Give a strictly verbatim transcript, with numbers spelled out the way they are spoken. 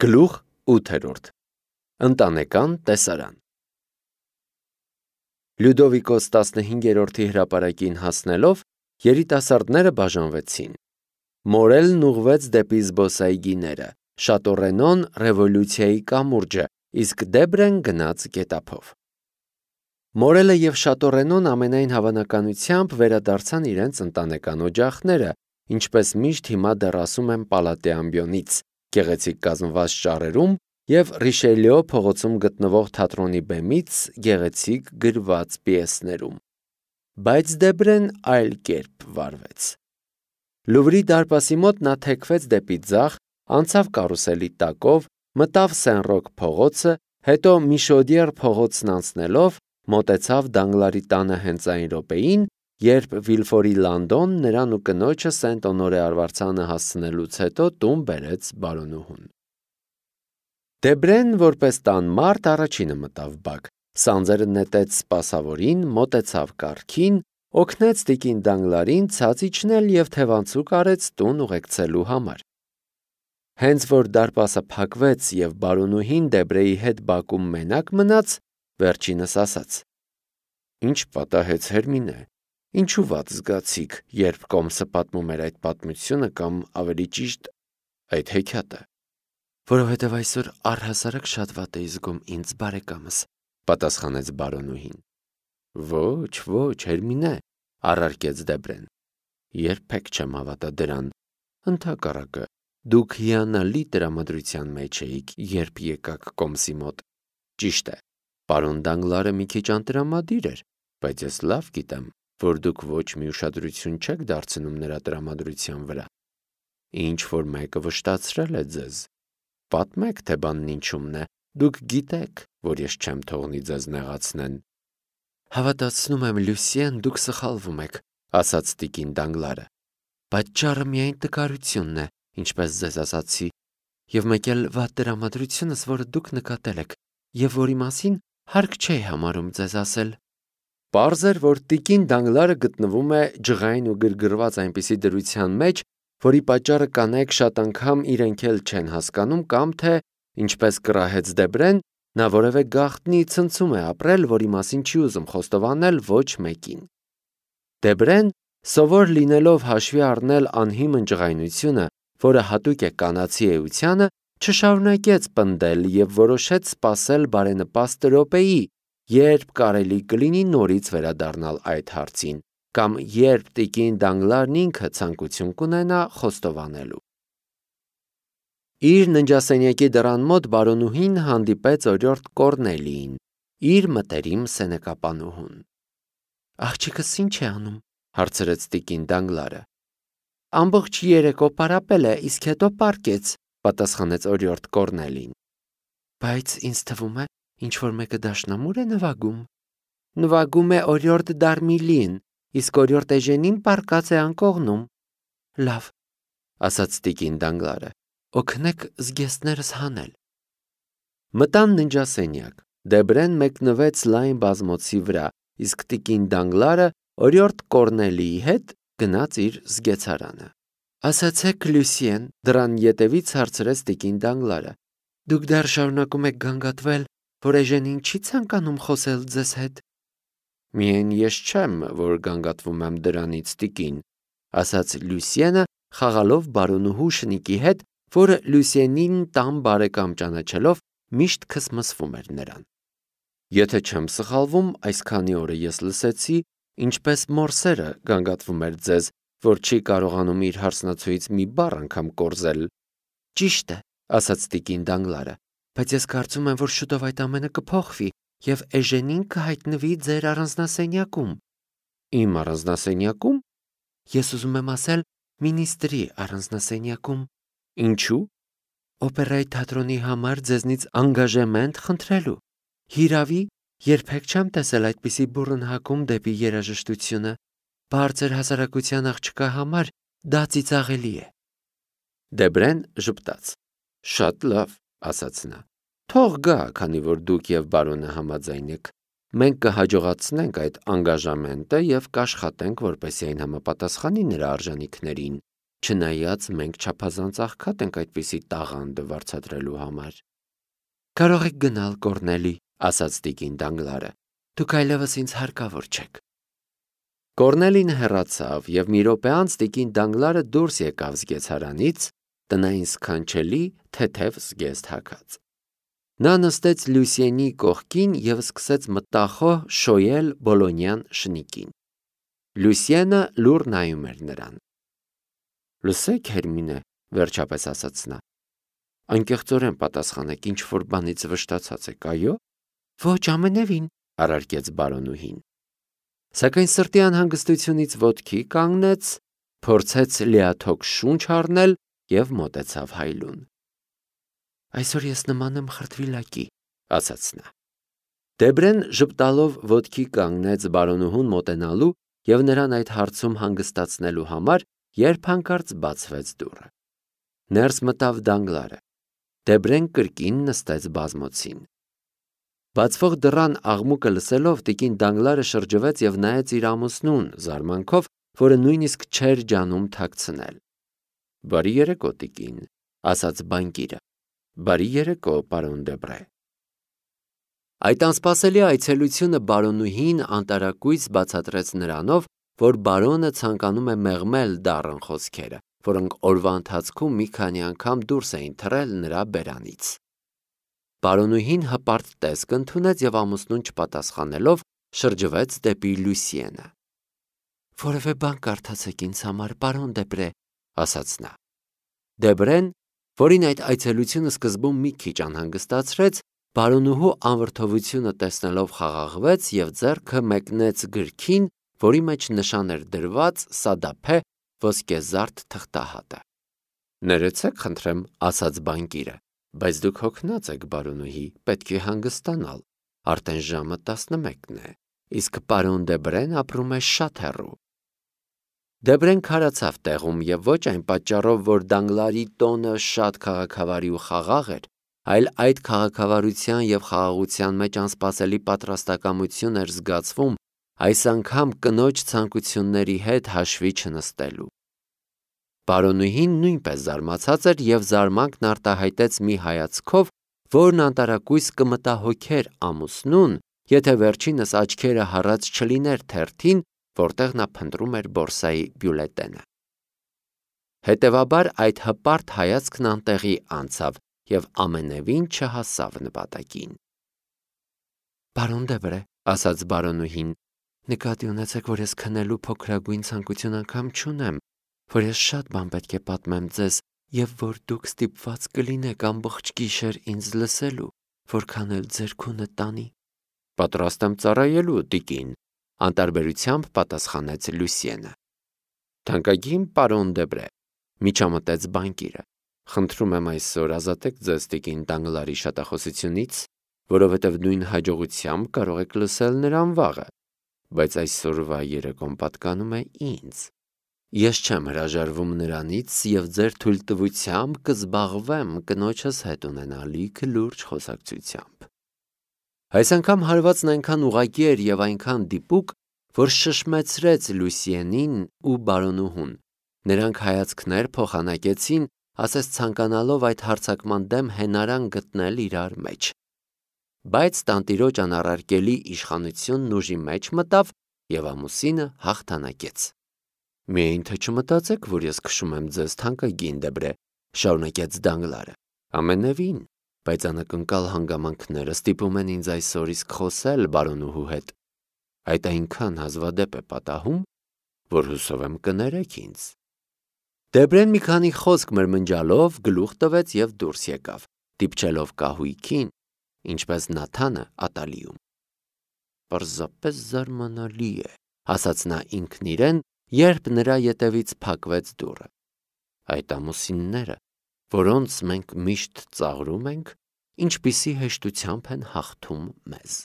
Գլուխ ութերորդ Ընտանեկան տեսարան Լյուդովիկոս տասնհինգերորդի հրապարակին հասնելով երիտասարդները բաժանվեցին։ Մորելն ուղղվեց դեպի զբոսայգիները, Շատորենոն ռևոլյուցիայի կամուրջը, իսկ Դեբրեն գնաց գետափով։ Մորելը և Շատորենոն ամենայն հավանականությամբ վերադարձան իրենց ընտանեկան օջախները, ինչպես միշտ հիմա դեռ ասում են Պալատե ամբիոնից, գեղեցիկ կազմված ճառերում և Ռիշելիո փողոցում գտնվող թատրոնի բեմից գեղեցիկ գրված պիեսներում։ Բայց Դեբրեն այլ կերպ վարվեց։ Լուվրի դարպասի մոտ նա թեքվեց դեպի ձախ, անցավ կարուսելի տակով, մտավ Սեն-Ռոկ փողոցը, հետո Միշոդիեր փողոցն անցնելով մոտեցավ Դանգլարի տանը հենց այն րոպեին, երբ Վիլֆորի Լանդոն նրան ու կնոջը Սենտ-Օնորե արվարձանը հասցնելուց հետո տուն բերեց բարոնուհուն։ Դեբրեն, որպես տան մարդ, առաջինը մտավ բակ, սանձերը նետեց սպասավորին, մոտեցավ կառքին, օգնեց տիկին Դանգլարին ցած իջնել և թևանցուկ արեց տուն ուղեկցելու համար։ Հենց որ դարպասը փակվեց և բարոնուհին Դեբրեի հետ բակում մենակ մնաց, վերջինս ասաց. «Ինչ պատահեց, Հերմինե, ինչու վատ զգացիք, երբ Կոմսը պատմում էր այդ պատմությունը կամ, ավելի ճիշտ, այդ հեքիաթը»։ «Որովհետև այսօր առհասարակ շատ վատ էի զգում ինձ, բարեկամս», պատասխանեց բարոնուհին։ «Ոչ, ոչ, Հերմինե», առարկեց Դեբրեն, երբեք չեմ հավատա դրան, ընդհակառակը, դուք հիանալի տրամադրության մեջ էիք, երբ եկաք Կոմսի մոտ։ Ճիշտ է, պարոն Դանգլարը մի քիչ անտրամադիր էր, բայց ես լավ գիտեմ, որ դուք ոչ մի ուշադրություն չեք դարձնում նրա տրամադրության վրա։ Ինչ-որ մեկը վշտացրել է ձեզ։ Պատմեք, թե բանն ինչումն է, դուք գիտեք, որ ես չեմ թողնի ձեզ նեղացնեն։ Հավատացնում եմ, Լյուսիեն, դուք սխալվում եք, ասաց տիկին Դանգլարը։ Պատճառը միայն տկարությունն է, ինչպես ձեզ ասացի, և մեկ էլ վատ տրամադրությունս, որը դուք նկատել եք, և որի մասին հարկ չէ համարում ձեզ ասել։ Պարզ էր, որ տիկին Դանգլարը գտնվում է ջղային ու գրգռված այնպիսի դրության մեջ, որի պատճառը կանայք շատ անգամ իրենք էլ չեն հասկանում կամ թե, ինչպես կռահեց Դեբրեն, նա որևէ գաղտնի ցնցում է ապրել, որի մասին չի ուզում խոստովանել ոչ մեկին։ Դեբրեն, սովոր լինելով հաշվի առնել անհիմն ջղայնությունը, որը հատուկ է կանացի էությանը, չշարունակեց պնդել և որոշեց սպասել բարենպաստ րոպեի, երբ կարելի կլինի նորից վերադառնալ այդ հարցին, կամ երբ տիկին Դանգլարն ինքը ցանկություն կունենա խոստովանելու։ Իր ննջասենյակի դռան մոտ բարոնուհին հանդիպեց օրիորդ Կոռնելիին, իր մտերիմ սենեկապանուհուն։ Աղջիկս ի՞նչ է անում, հարցրեց տիկին Դանգլարը։ Ամբողջ երեկո պարապել է, իսկ հետո պառկեց, պատասխանեց օրիորդ Կոռնելին։ Բայց ինձ թվում է, ինչ-որ մեկը դաշնամուր է նվագում։ Նվագում է օրիորդ Դարմիլին, իսկ օրիորդ Էժենին պառկած է անկողնում։ Լավ, ասաց տիկին Դանգլարը, օգնեք զգեստներս հանել։ Մտան ննջասենյակ, Դեբրեն մեկնվեց լայն բազմոցի վրա, իսկ տիկին Դանգլարը օրիորդ Կոռնելիի հետ գնաց իր զգեցարանը։ Ասացեք, Լյուսիեն, դռան ետևից հարցրեց տիկին Դանգլարը, դուք դեռ շարունակում եք գանգատվել, որ Էժենին չի ցանկանում խոսել ձեզ հետ։ Միայն ես չեմ, որ գանգատվում եմ դրանից, տիկին, ասաց Լյուսիենը, խաղալով բարոնուհու շնիկի հետ, որը Լյուսիենին տան բարեկամ ճանաչելով միշտ քսմսվում էր նրան։ Եթե չեմ սխալվում, այսքանի օրը ես լսեցի, ինչպես Մորսերը գանգատվում էր ձեզ, որ չի կարողանում իր հարսնացուից մի բառ անգամ կորզել։ Ճիշտ է, ասաց տիկին Դանգլարը, բայց ես կարծում եմ, որ շուտով այդ ամենը կփոխվի, և Էժենին կհայտնվի ձեր առանձնասենյակում։ Իմ առանձնասենյակում։ Ես ուզում եմ ասել մինիստրի առանձնասենյակում։ Ինչու՞։ Օպերայի թատրոնի համար ձեզնից անգաժեմենտ խնդրելու։ Հիրավի, երբեք չեմ տեսել այդպիսի բուռն հակում դեպի երաժշտությունը։ Բարձր հասարակության աղջկա համար դա ծիծաղելի է։ Դեբրեն ժպտաց։ Շատ լավ, ասաց նա։ Թող գա, քանի որ դուք և բարոնը համաձայն եք։ Մենք կհաջողացնենք այդ անգաժամենտը և կաշխատենք, որպեսզի այն համապատասխանի նրա արժանիքներին։ չնայած մենք չափազանց աղքատ ենք այդպիսի տաղանդը վարձատրելու համար։ Կարող եք գնալ, Կորնելի, ասաց տիկին Դանգլարը, դուք այլևս ինձ հարկավոր չեք։ Կորնելին հեռացավ և մի րոպե անց տիկին Դանգլարը դուրս եկավ զգեստարանից, տնային սքանչելի թեթև զգեստ հագած։ Նա նստեց Լուսիենի կողքին և սկսեց մտախոհ շոյել բոլոնյան շնիկին։ Լուսիենը լուռ նայում էր նրան։ Լսեք, Հերմինե, վերջապես ասաց նա։ Անկեղծորեն պատասխանեք, ինչ-որ բանից վշտացած եք, այո։ Ոչ, ամենևին, առարկեց բարոնուհին։ Սակայն սրտի անհանգստությունից ոտքի կանգնեց, փորձեց լիաթոք շունչ առնել և մոտեցավ հայլուն։ Այսօր ես նման եմ խրտվիլակի, ասաց նա։ Դեբրեն ժպտալով ոտքի կանգնեց բարոնուհուն մոտենալու և նրան այդ հարցում հանգստացնելու համար, երբ հանկարծ բացվեց դուռը։ Ներս մտավ Դանգլարը։ Դեբրեն կրկին նստեց բազմոցին։ Բացվող դռան աղմուկը լսելով տիկին Դանգլարը շրջվեց և նայեց իր ամուսնուն զարմանքով, որը նույնիսկ չէր ջանում թաքցնել։ Բարի երեկո, տիկին, ասաց բանկիրը։ Բարի երեկո, պարոն Դեբրե։ Այդ անսպասելի այցելությունը բարոնուհին անտարակույս բացատրեց նրանով, որ բարոնը ցանկանում է մեղմել դառն խոսքերը, որոնք օրվա ընթացքում մի քանի անգամ դուրս էին թռել նրա բերանից։ Բարոնուհին հպարտ տեսք ընդունեց և ամուսնուն չպատասխանելով շրջվեց դեպի Լուսիենը։ Որևէ բան կարդացեք ինձ համար, պարոն Դեբրե, ասաց նա։ Դեբրեն, որին այդ այցելությունը սկզբում մի քիչ անհանգստացրեց, բարոնուհու անվրդովությունը տեսնելով խաղաղվեց և ձեռքը մեկնեց գրքին, որի մեջ նշան էր դրված սադափե ոսկեզարդ թղթահատը։ Ներեցեք, խնդրեմ, ասաց բանկիրը, բայց դուք հոգնած եք, բարոնուհի, պետք է հանգստանալ, արդեն ժամը տասնմեկն է, իսկ պարոն Դեբրեն ապրում է շատ հեռու։ Դեբրեն քարացավ տեղում և ոչ այն պատճառով, որ Դանգլարի տոնը շատ քաղաքավարի ու խաղաղ էր, այլ այդ քաղաքավարության և խաղաղության մեջ անսպասելի պատրաստակամություն էր զգացվում այս անգամ կնոջ ցանկությունների հետ հաշվի չնստելու։ Բարոնուհին նույնպես զարմացած էր և զարմանքն արտահայտեց մի հայացքով, որն անտարակույս կմտահոգեր ամուսնուն, եթե վերջինս աչքերը հառած չլիներ թերթին, որտեղ նա փնտրում էր բորսայի բյուլետենը։ Հետևաբար այդ հպարտ հայացքն անտեղի անցավ և ամենևին չհասավ նպատակին։ Պարոն Դեբրե, ասաց բարոնուհին, նկատի ունեցեք, որ ես քնելու փոքրագույն ցանկություն անգամ չունեմ, որ ես շատ բան պետք է պատմեմ ձեզ և որ դուք ստիպված կլինեք ամբողջ գիշեր ինձ լսելու, որքան էլ ձեր քունը տանի։ Պատրաստ եմ ծառայելու, տիկին, անտարբերությամբ պատասխանեց Լուսիենը։ Թանկագին պարոն Դեբրե, միջամտեց բանկիրը, խնդրում եմ այսօր ազատեք ձեզ տիկին Դանգլարի շատախոսությունից, որովհետև նույն հաջողությամբ կարող եք լսել նրան վաղը, բայց այսօրվա երեկոն պատկանում է ինձ։ Ես չեմ հրաժարվում նրանից և ձեր թույլտվությամբ կզբաղվեմ կնոջս հետ ունենալիք լուրջ խոսակցությամբ։ Այս անգամ հարվածն այնքան ուղղակի էր և այնքան դիպուկ, որ շշմեցրեց Լուսիենին ու բարոնուհուն։ Նրանք հայացքներ փոխանակեցին, ասես ցանկանալով այդ հարձակման դեմ հենարան գտնել իրար մեջ։ Բայց տանտիրոջ անառարկելի իշխանությունն ուժի մեջ մտավ և ամուսինը հաղթանակեց։ Միայն թե չմտածեք, որ ես քշում եմ ձեզ, թանկագին Դեբրե, շարունակեց Դանգլարը։ Ամենևին, բայց անակնկալ հանգամանքները ստիպում են ինձ այսօր իսկ խոսել բարոնուհու հետ։ Այդ այնքան հազվադեպ է պատահում, որ հուսով եմ կներեք ինձ։ Դեբրեն մի քանի խոսք մրմնջալով գլուխ տվեց և դուրս եկավ, դիպչելով կահույքին, ինչպես Նաթանը ատալիում։ Պարզապես զարմանալի է, ասաց նա ինքն իրեն, երբ նրա ետևից փակվեց դուռը։ Այդ ամուսինները, որոնց մենք միշտ ծաղրում ենք, ինչպիսի հեշտությամբ են հաղթում մեզ։